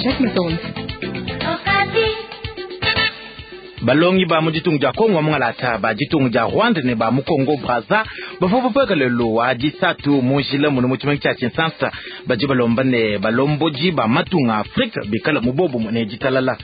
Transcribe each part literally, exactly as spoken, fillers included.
Jean-Jacques Matonzi. Balongi ba mu ditunga dia Kongo mungalata, ba ditunga dia Rwanda ne ba mu Kongo Brazza bavua bapueka lelu wa disatu mu njila muno mu tshimenga tshia Kinshasa, badi balomba ne balombodi ba matunga Afrika bikala mu bobu ne ditalala.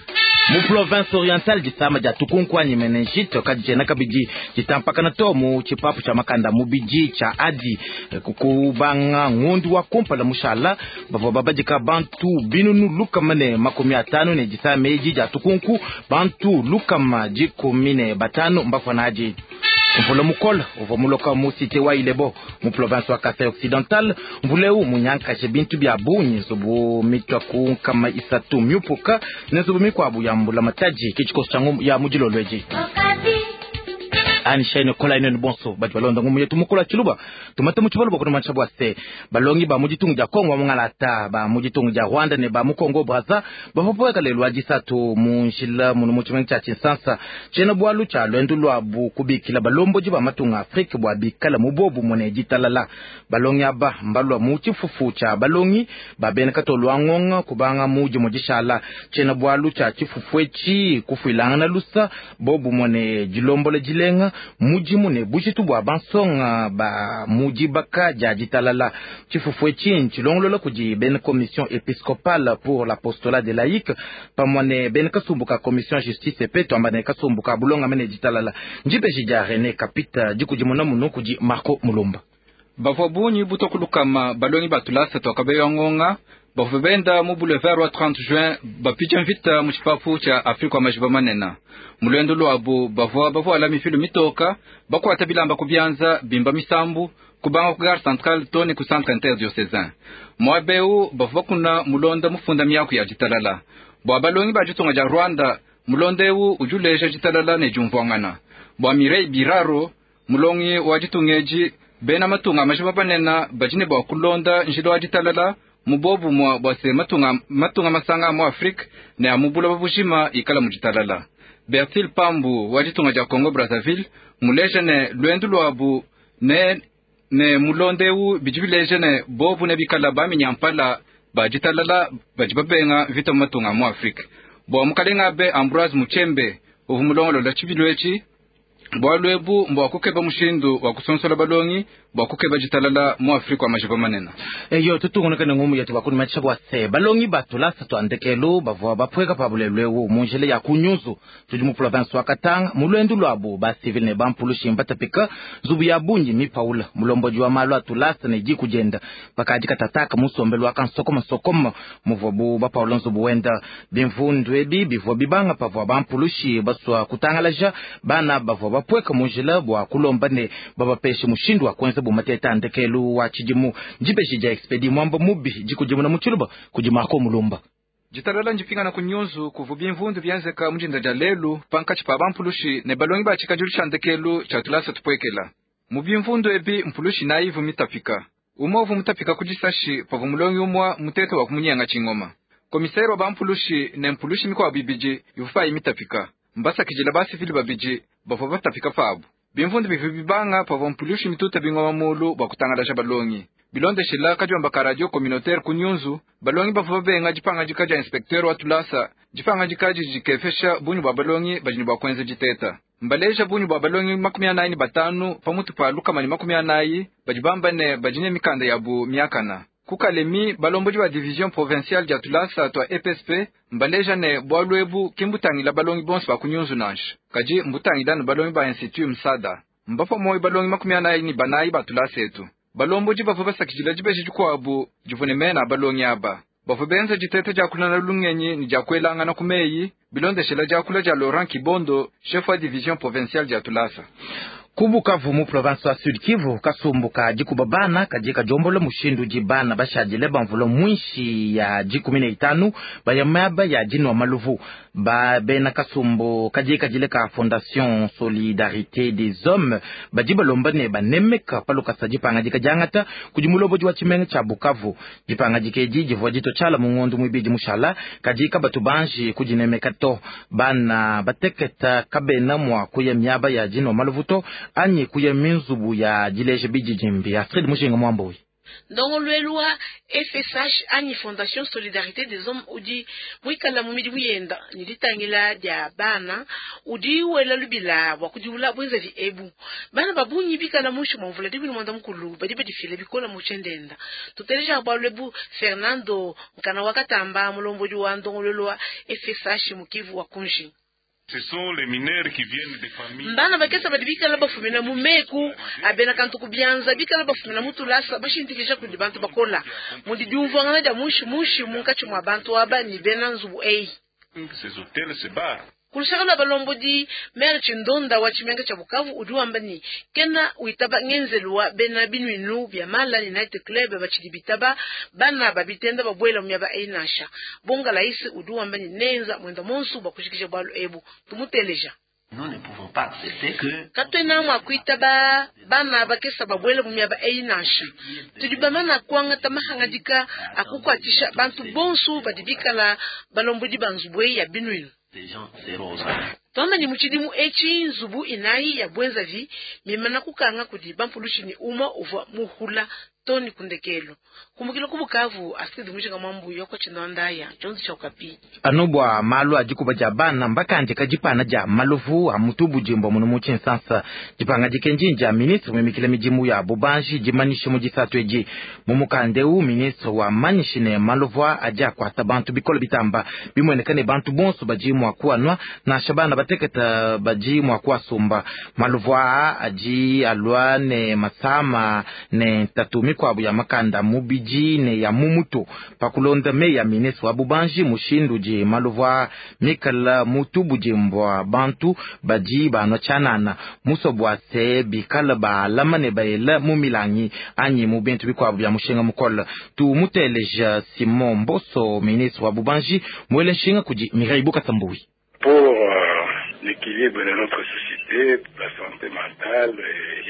Mu province orientale, disama dia tukunku anyi meningite kaditshiena kabidi ditampakana to mu tshipapu tshia makanda mubidi tshia Adi. Kubanga ngondu wa kumpala mushala, bavua babadika bantu binunu lukama ne makumi atanu ne disama edi dia tukunku, bantu lukama dikumi ne batanu mbafua nadi. Mvula mukola uvua muloka mu cité wa Ilebo mu province wa Kasai Occidental. Mvula eu munyankashe bintu bia bungi, nzubu mitua ku nkama isatu miupuka ne nzubu mikuabu ya mbula matadi. Ke tshikoso tshia ya mu dilolo edi. Anishaine kola ine bonso badi balonda ngumu yetu mukola tshiluba tumate mu tshibalo bakunumansha bua se balongi ba mu ditunga dia Kongo mungalata, ba mu ditunga dia Rwanda ne ba mu Kongo Brazza bavua bapueka lelu wa disatu mu njila muno mu tshimenga tshia Kinshasa. Tshiena bualu tshia luendu luabu kubikila balombodi ba matunga Afrika bua bikala mu bobu ne ditalala. Balongi aba mbalua mu tshifufu tshia balongi ba bena katolu wa ngonga kubanga mu dimue dishala. Tshiena bualu tshia tshifufu etshi kufuilangana lusa, bobu ne dilombola dilenga, mudimu ne bujitu bua bansonga ba mu dibaka dia ditalala. Tshifufu etshi ntshilongolola kudi bena Commission épiscopale pour l'apostolat des laïcs pamue ne bena kasumbu ka commission justice pe tuamba ne kasumbu ka bulongame ne ditalala. Ndibeji dia René Kapita, dikudimuna munu kudi Marco Mulumba. Bavua bungi butua ku lukama balongi ba tulasa tua kabeya ngonga bavua benda mu boulevard wa trente juin bapitsha mvita mu tshipapu tshia Afrika wa majiba manene. Mu luendu luabu bavua bavuala mifilu mitoka, bakuata bilamba ku bianza, bimba misambu kubanga ku gare centrale to ne ku centre interdiocésain. Muaba eu bavua bakuna mulonda mufunda miaku ya ditalala. Bua balongi ba ditunga dia Rwanda, mulonda eu udi uleja ditalala ne diumvuangana. Bua Mireille Biraro, mulongi wa ditunga edi, bena matunga majiba manene badi ne bua kulonda njila wa ditalala mu bobumue bua se matunga, matunga masanga mu Afrika ne a mu buloba bujima ikala mu ditalala. Bertil Pambu wa ditunga dia Congo Brazzaville muleja ne luendu luabu ne ne mulonda eu bidi bileja ne bobu ne bikala baminyampala ba ditalala badi babenga mvita mu matunga mu Afrika. Bua mukalenga abe Ambroise Muchembe uvua mulongolola tshibilu etshi, bualu ebu mbua kukeba mushindu wa kusonsola balongi bua kukeba ditalala mu Afrika wa majiba manene. Eyo tutungunuka ne ngumu yetu bakunumatshisha bua se balongi ba tulasa tua ndekelu bavua bapueka pa bulelu eu mu njila ya kunyuzu tudi mu province wa Katanga. Mu luendu luabu ba civil ne bampulushi mbatapika nzubu ya bungi mipaula. Mulombodi wa malu a tulasa ne diku dienda bakadi katataka musombelu wa kansokoma sokoma muvuabu bapaula nzubu wenda. Bimvundu ebi bivua bibanga pavua bampulushi basua kutangalaja bana bavua bapueka mu njila bua kulomba ne babapeshe mushindu wa kuenza bumateta ndekelu wa tshidimu. Ndibeji dia Expedi Mwamba Mubi, dikudimuna mu tshiluba kudi Marco Mulumba. Ditalala ndipingana ku nyunzu kuvu bimvundu bienzeka mu dinda dia lelu pankatshi pa bampulushi ne balongi ba tshikadilu tshia ndekelu tshia tulasa tupuekela. Mu bimvundu ebi mpulushi nayi ivu mitapika. Umwe uvu mutapika ku disashi pavua mulongi umwe mutete wa kumunyenga tshingoma. Komisere wa bampulushi ne mpulushi mikuabu ibidi ivu payi mitapika. Mbasakidila basivili babidi bavua batapika pabu. Bimvundu bivu bibanga pavua mpulushi mituta bingoma mulu bua kutangalaja balongi. Bilondeshela kadiomba ka radio communautaire ku nyunzu, balongi bavua babenga dipangadika dia inspecteur wa tulasa. Dipangadika didi dikefesha bungi bua balongi badi ne bua kuenza diteta. Mbaleja bungi bua balongi makumi anayi ne batanu pamutu pa lukama ne makumi anayi badi bamba ne badi ne mikanda yabu miakana. Ku Kalemi, balombodi ba division provinciale dia tulasa tua E P S P mbaleja ne bualu ebu ki mbutangila balongi bonso ba ku nyunzu nansha, kadi mbutangila ne balongi ba institut Msada. Mbapa moyo balongi makumi anayi ne banayi ba tulasa etu. Balombodi bavua basakidila dibeji dikuabu divua ne mena a balongi aba. Bavua benza diteta dia kulana lungenyi ne dia kuelangana ku meyi bilondeshela diakula dia Laurent Kibondo, chef wa division provinciale dia tulasa. Ku Bukavu mu province wa Sud Kivu, kasumbu ka dikuba bana kadi kadiombola mushindu di bana bashadile bamvula mwinshi ya dikumi ne itanu baya miaba ya dinua maluvu. Ba bena kasumbu kadi kadile ka Fondation Solidarité des Hommes badi balomba ne banemeka palukasa dipangadika diangata kudi mulobodi wa tshimenga tshia Bukavu. Dipangadika edi divua dito tshiala mu ngondo muibidi mushala kadi kabatu banji kudinemeka to. Bana bateketa kabena mua kuya miaba ya dinua maluvu to anyi kuya minzubu ya dileja bididimbi. Astrid Mushinga Mwamboyi. Ndongoluelu wa F S H anyi Fondation Solidarité des Hommes udi muikala mu midimu yenda ne ditangila dia bana udi wela lubila bua kudiwula bwenzavi ebu. Bana ba bungi bikala muinshi mua mvula dikumi ne muanda mukulu badi badifila bikola mu tshiendenda. Tuteleja bualu ebu Fernando Nkana wa Katamba mulombodi wa ndongoluelu wa F S H mu Kivu wa Kunji. Ce sont les mineurs qui viennent des familles. Mbana bakesa badi bikala bafumina mu meku abena kantu kubianza bikala bafumina mu tulasa bashindikisha kudi bantu bakola mudi diumvuangana dia mushi mushi munkatshi mua bantu aba ni bena nzubu eyi. Ces hôtels, ces bars. Kulushaka balombodi maire Chindonda wa Chimenga cha Bukavu udi wamba ni kena uitaba ngenzelu wa bena binuinu bya mala ni night club bachidi bitaba bana babitenda babwela myaba einasha bonga laisi udi wamba ni nenza mwenda monsu bakushikisha bwalu ebu tumuteleja. Nous ne pouvons pas accepter que katwena mwa kuitaba bana bakesa babwela myaba einasha tudi bamana kwanga tamahangadika akukwatisha bantu bonsu badibikala balombodi banzubwe ya binuinu. Twamba ni muchidimu echi nzubu inayi ya bwenzavi mimana kukanga kudi bampulushi ni uma uvwa muhula toni kundekelo kumbukila kubukavu asikidi mujinga mwambu yoko chinondaya chonzi cha ukapi anubwa malu adikuba ja bana mbakandika jipana ja maluvu a mutubu jimbo muno mu Tshinsansa jipanga dikenjinja ministre mimikila midimu ya bubanji jimanishe mu disatu eji mu mukandeu ministre wa manyishi ne maluvu aja akwata bantu bikolo bitamba bimweneka ne bantu bonso baji mwa kuanwa nansha bana bateketa baji mwa kuasumba maluvu aji alwa ne masama ne tatu mikwabu ya makanda mubiji ne ya mumuto pakulonda me ya ministre wa bubanji mushindu ji maluvu mikala mutubu jimbwa bantu baji banwa tshanana musobwa se bikala baalama ne baela mu milangi anyi mu bintu bikwabu bya mushinga mukola tu muteleja Simon Mboso ministre wa bubanji mwele nshinga kudi Mireille Bukasambui. Pour euh, l'équilibre de notre société, la santé mentale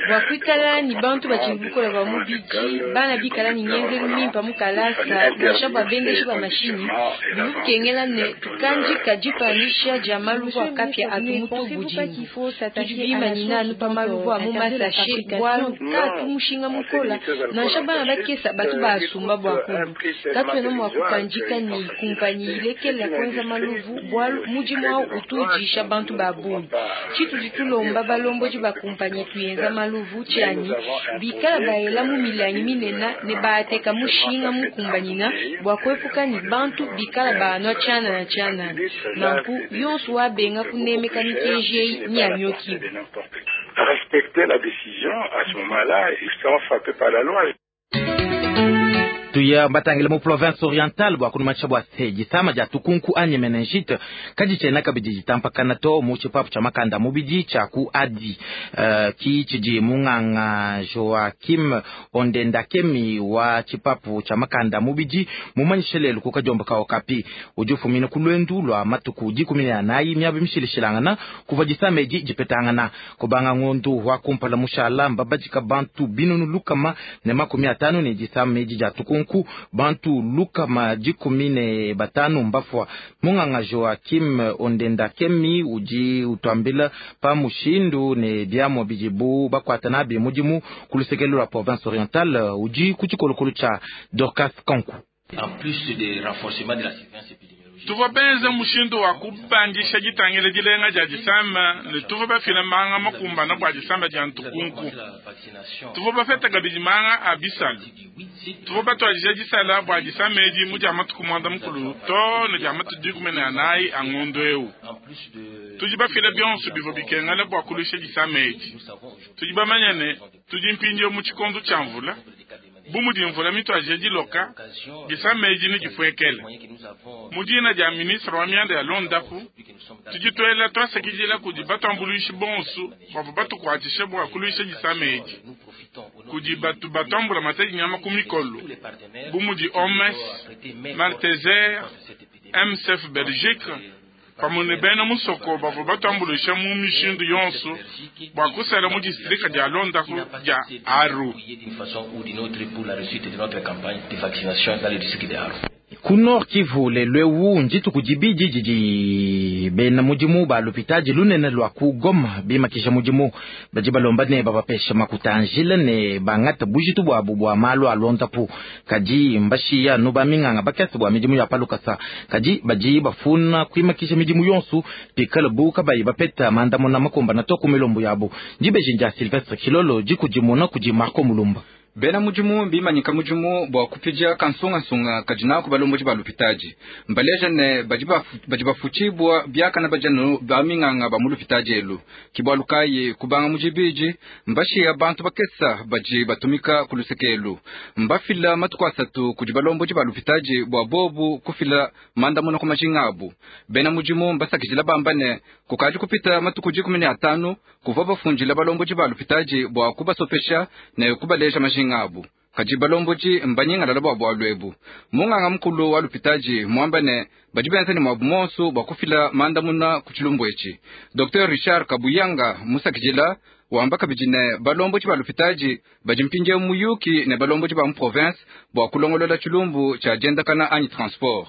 bwakwikala ni bantu bachibukola bwa mubiji bana bikala ni ngenzelu mimpa mukalasa nansha bwa bendesha bwa mashini bibukengela ne tukanji kajipanisha ja maluvu akapya atu mutu bujimbu tudi bimanyina anu pa maluvu amu masashe bwalu katu mushinga mukola nansha bana bakesa batu baasumba bwakulu katwena mwa kukanjika ni kumpanyi ilekela kwenza maluvu bwalu mudimu au utujisha bantu babungi chitudi tulomba balomboji bakumpanyi tuyenza maluvu chani bikala baela mu milangi minena ne baateka mushinga mukumbanyina bwa kwepuka ni bantu bikala baanwa tshana na tshana nanku yonso wabenga kunemeka mikenji eyi ni anyokiwa. Respecter la décision à ce moment-là, ils seront frappés par la loi. Tuya mbatangile mu province orientale bwa kunumanisha bwa se jisama ja tukunku anye meningite kaji chena kabidi jitampakana to mu chipapu cha makanda mubidi cha ku adi uh, ki chiji munganga Joakim Ondendakemi wa chipapu cha makanda mubidi mumanyishelelu kukajomba kao kapi ujufumine kulwendu lwa matuku dikumi na anayi miabi mishilishilangana kuva jisama eji jipetangana kubanga ngondu wa kumpala mushala mbabajika bantu binunu lukama ne makumi atano ne jisama eji ja tukunku nku bantu lukama dikumi ne batanu mbafwa munganga Joakim Ondendakemi udi utwambila pa mushindu ne biamwa bidibu bakwata nabi mudimu kulusekelu la province orientale udi ku tshikolokolo tshia Dorcas Kanku. En plus de renforcement de la surveillance épidémiologique, tuva benza mushindu wa kubandisha ditangila dilenga dia disamba ne tuva bafila manga makumbana bua disamba dia ntukunku tuva bafeta kabidi manga a bisalu tuva batuadija disala bua disamba edi mu dia matuku muanda mukulu to ne dia matuku dikumi ne anayi a ngondo eu tudi bafila bionso bivua bikengela bua kulusha disamba edi tudi bamanya ne tudi mpindieu mu tshikondo tshia mvula bu mudi mvula mituadije diloka disamba edi ne difuekele mudina dia ministre wa mianda ya londapu tudi tuela tuasakidila kudi batuambuluishi bonso bavua batukuatshisha bua kuluisha disama edi kudi batu batuambula matadi nyama ku mikolo bu mudi O M S, Malteser, M S F Belgique pamue ne bena musoko bavua batuambuluisha mu mishindu yonso bua kusala mu distrika dia londapu dia Aru. Ku Nord Kivu lelu eu ndituku dibidi didi bena mudimu ba lupitadi lunene lua ku Goma bimakisha mudimu. Badi balomba ne babapesha makuta a njila ne bangata bujitu buabu bua malu a luondapu. Kadi mbashiya anu baminganga bakese bua midimu ya palukasa. Kadi badi bafuna kuimakisha midimu yonso pikala bu kabayi bapeta mandamuna makumbana to ku milombo yabu. Dibeji dia Sylvestre Kilolo dikudimuna kudi Marco Mulumba. Bena mudimu bimanyika mudimu bua kupidia kansungasunga kadi naku balombodi ba lupitadi. Mbaleja ne badi bafutshibua biakana badianu baminganga ba mu lupitadi elu. Kibwalu kayi kubanga mujibiji mbashiya bantu bakesa badi batumika ku luseke elu. Mbafila matuku asatu kudi balombodi ba lupitadi bua bobu kufila mandamuna ku majinga abu. Bena mudimu mbasakidila bamba ne kukadi kupita matuku dikumi ne atanu kuvua bafundila balombodi ba lupitadi bua kubasopesha ne kubaleja majinga abu. Kadi balombodi mbanyingalala bua bualu ebu. Munganga mukulu wa lupitadi mwamba ne badi benza ne mwabu monso bua kufila mandamuna ku tshilumbu etshi. Docteur Richard Kabuyanga musakidila wamba kabidi ne balombodi ba lupitadi badi mpindieu muyuki ne balombodi ba mu province bua kulongolola tshilumbu tshia diendakana anyi transport.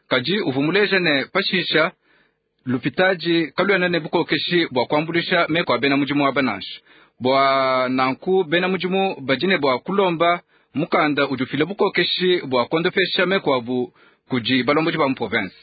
Kadi uvua muleja ne pashisha lupitadi kaluena ne bukokeshi bua kuambuluisha meko a bena mudimu aba nansha. Bua nanku bena mudimu badi ne bua kulomba mukanda udi ufila bukokeshi bua kuondopesha meko abu kudi balombodi ba mu province.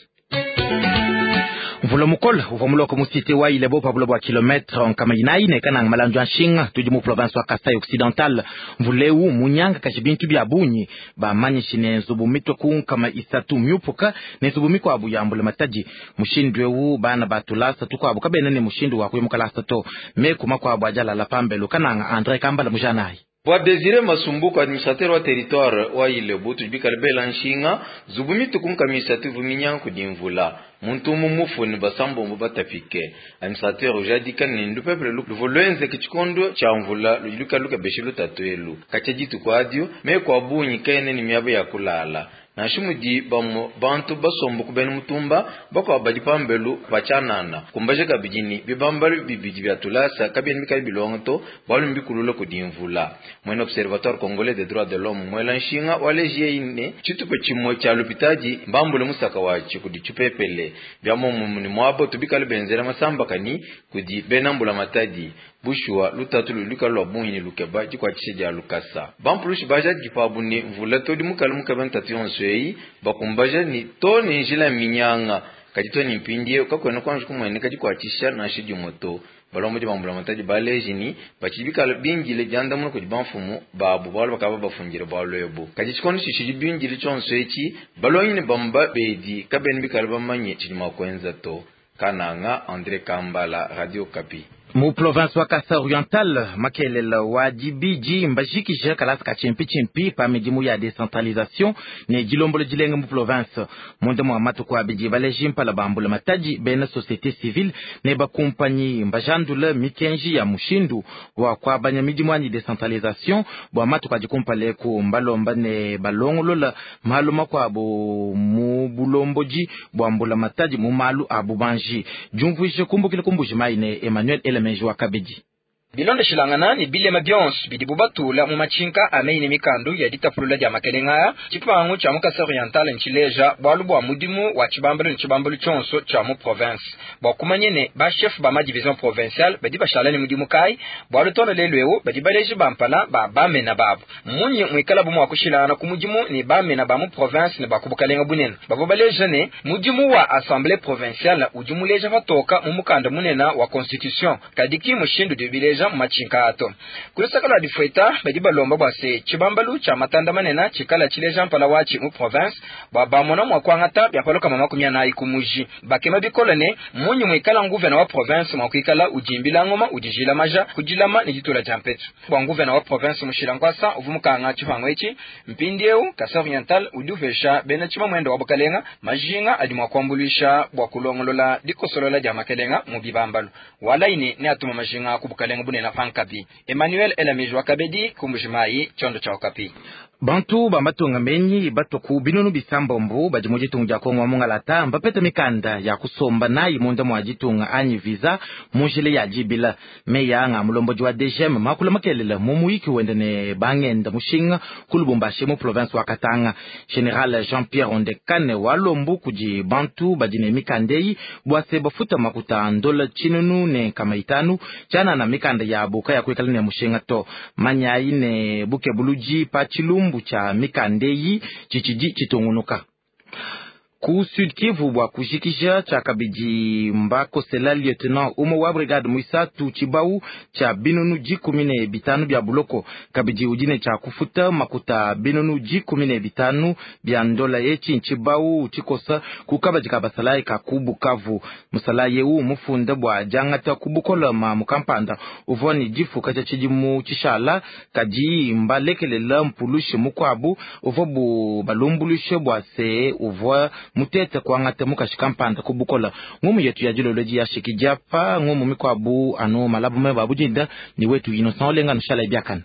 Mvula mukole uvua muloka mu cité wa Ilebo pa buloba bua kilometre nkama inayi ne kananga malandu a nshinga tudi mu province wa Kasai Occidental. Mvula eu munyanga kashi bintu bia bungi bamanyishi ne nzubu mitwe ku nkama isatu miupuka ne nzubu mikuabu ya mbula matadi. Mushindu eu bana batulasa tukuabu kabena ne mushindu wa kuya mukalasa to meku makuabu ajalala pambelu kananga Andre Kambala mujanayi. Bwa Desire Masumbuko administrateur wa territoire wa Ilebo tujibikale bela nshinga nzubu mituku nkama isatu ivu minyanga kudi mvula. Muntu umu mufu ne basambombo batapike. Administrateur ujadika ne ndupepele luvu lwenzeke tshikondo tshia mvula ludi lukala lukebesha lutatu elu. Katshia dituku adio meku a bungi kaena ne miaba ya kulala. Nansha mudi bamue bantu basomba ku bena mutumba bakuabu badi pambelu patshianana. Kumbaja kabidi ne bibambalu bibidi bia tulasa kabiena bikala bilonga to bualu mbikulula kudi mvula. Mwena Observatoire Congolais des droits de l'homme mwela nshinga waleji yeyi ne tshitupa tshimue tshia lupitadi mbambule musaka watshi kudi tshipepele. Bia muomumue ne muaba tubikale benzela masambakani kudi bena mbula matadi. Bushuwa lutatu ludi lukala lua bungi ne lukeba dikuatshisha dia lukasa. Bampulushi bajadiki pabu ne mvula todi mukala mukeba ntatu yonso eyi bakumbaja ni to ne njila minyanga. Kadi to ne mpindieu kakuena kuanji kumueneka dikuatshisha nansha dimue to. Balombodi ba mbula matadi baleji ni batshidi bikala bindile diandamuna kudi bamfumu babu bualu bakaba bafundile bualu ebu. Kadi tshikondo tshitshidi bindile tshionso etshi balongi ne bamba bedi kabena bikala bamanye tshidi mua kuenza to. Kananga Andre Kambala, Radio Okapi. Mu province wa Kasai Oriental makelela wa dibidi mbajikije kalasa ka tshimpi tshimpi pa midimu ya décentralisation ne dilombolo dilenge mu province. Munda mua matuku abidi baleji mpala bambula matadi bena société civile ne bakumpanyi mbajandula mikenji ya mushindu wa kuabanya midimu anyi décentralisation bua matuku adi kumpala eku mbalomba ne balongolola malu makuabu mu bulombodi bua mbula matadi mu malu a bubanji. Diumvuije kumbukila kumbuji mayi ne Emmanuel Elemeji wa Kabedi. Bilondeshilangana ne bilema bionso bidibu batula mu matshinka a meyi ne mikandu ya ditapulula dia makelenga aya, tshipangu tshia mu Kasai Oriental ntshileja bualu bua mudimu wa tshibambalu ne tshibambalu tshionso tshia mu province. Bua kumanya ne ba chef ba ma division provinciale badi bashala ne mudimu kayi, bualu tona lelu eu badi baleji bampala ba bamena babu. Munyi muikala bu mua kushilangana ku mudimu ne bamena ba mu province ne ba ku bukalenga bunene. Bavua baleja ne mudimu wa assemblée provinciale udi muleja patoka mu mukanda munene wa constitution, kadi ki mushindu udi bileja matshinka ato. Kulusaka lua difueta badi balomba bua se tshibambalu tshia matanda manene tshikala tshileja mpala watshi mu province bua bamona mua kuangata biapaloka makumi anayi ku muji. Bakema bikole ne munyi muikala nguvena wa province mua kuikala udimbila ngoma udijila maja kudilama ne ditula dia mpetu. Bua nguvena wa province mushila nkwasa uvu mukanga tshipangu etshi mpindieu Kasai Oriental udi upesha bena tshima muendo wa bukalenga majinga adi mua kuambuluisha bua kulongolola dikosolola dia makelenga mu bibambalu. Walaini ne atuma majinga ku bukalenga bunene pankabi. Emmanuel Elamiji wa Kabedi kumbujimayi tshiondo tshia Okapi. Bantu ba matunga menyi batua ku binunu bisambombo badi mu ditunga dia Kongo wa mungalata mbapeta mikanda ya kusomba nayi munda mua ditunga anyi visa mu njila ya dibila. Meyi anga mulombodi wa D G M makula makelela mu muyiki wende ne bangenda mushinga ku Lubumbashi mu province wa Katanga. Général Jean-Pierre Ondekane walombu kudi bantu badi ne mikanda eyi bua se bafuta makuta ndola tshinunu ne nkama itanu tshianana mikanda yabo kayakuikala ne mushinga to. Manyayi ne bukebuludi pa tshilumbu tshia mikanda eyi tshitshidi tshitungunuka ku Sud Kivu. Bua kujikija tshiakabidi, mbakosela lieutenant umue wa brigade muisatu tshibau tshia binunu dikumi ne bitanu bia buloko, kabidi udi ne tshia kufuta makuta binunu dikumi ne bitanu bia ndola. Etshi ntshibau tshikosa ku kabadi ka basalayi ka ku Bukavu. Musalayi eu mufunda bua diangata ku bukola mamu kampanda uvua ne difuka tshia tshidimu tshishala, kadi mbalekelela mpulushi mukuabu uvua bu balumbuluishe bua se uvua mutete kuangata mukashi kampanda ku bukola. Ngumu yetu ya dilolo edi yashiki diapa. Ngumu mikuabu anu malabu meba abudinda ni wetu Innocent Olenga. Nushala biakana.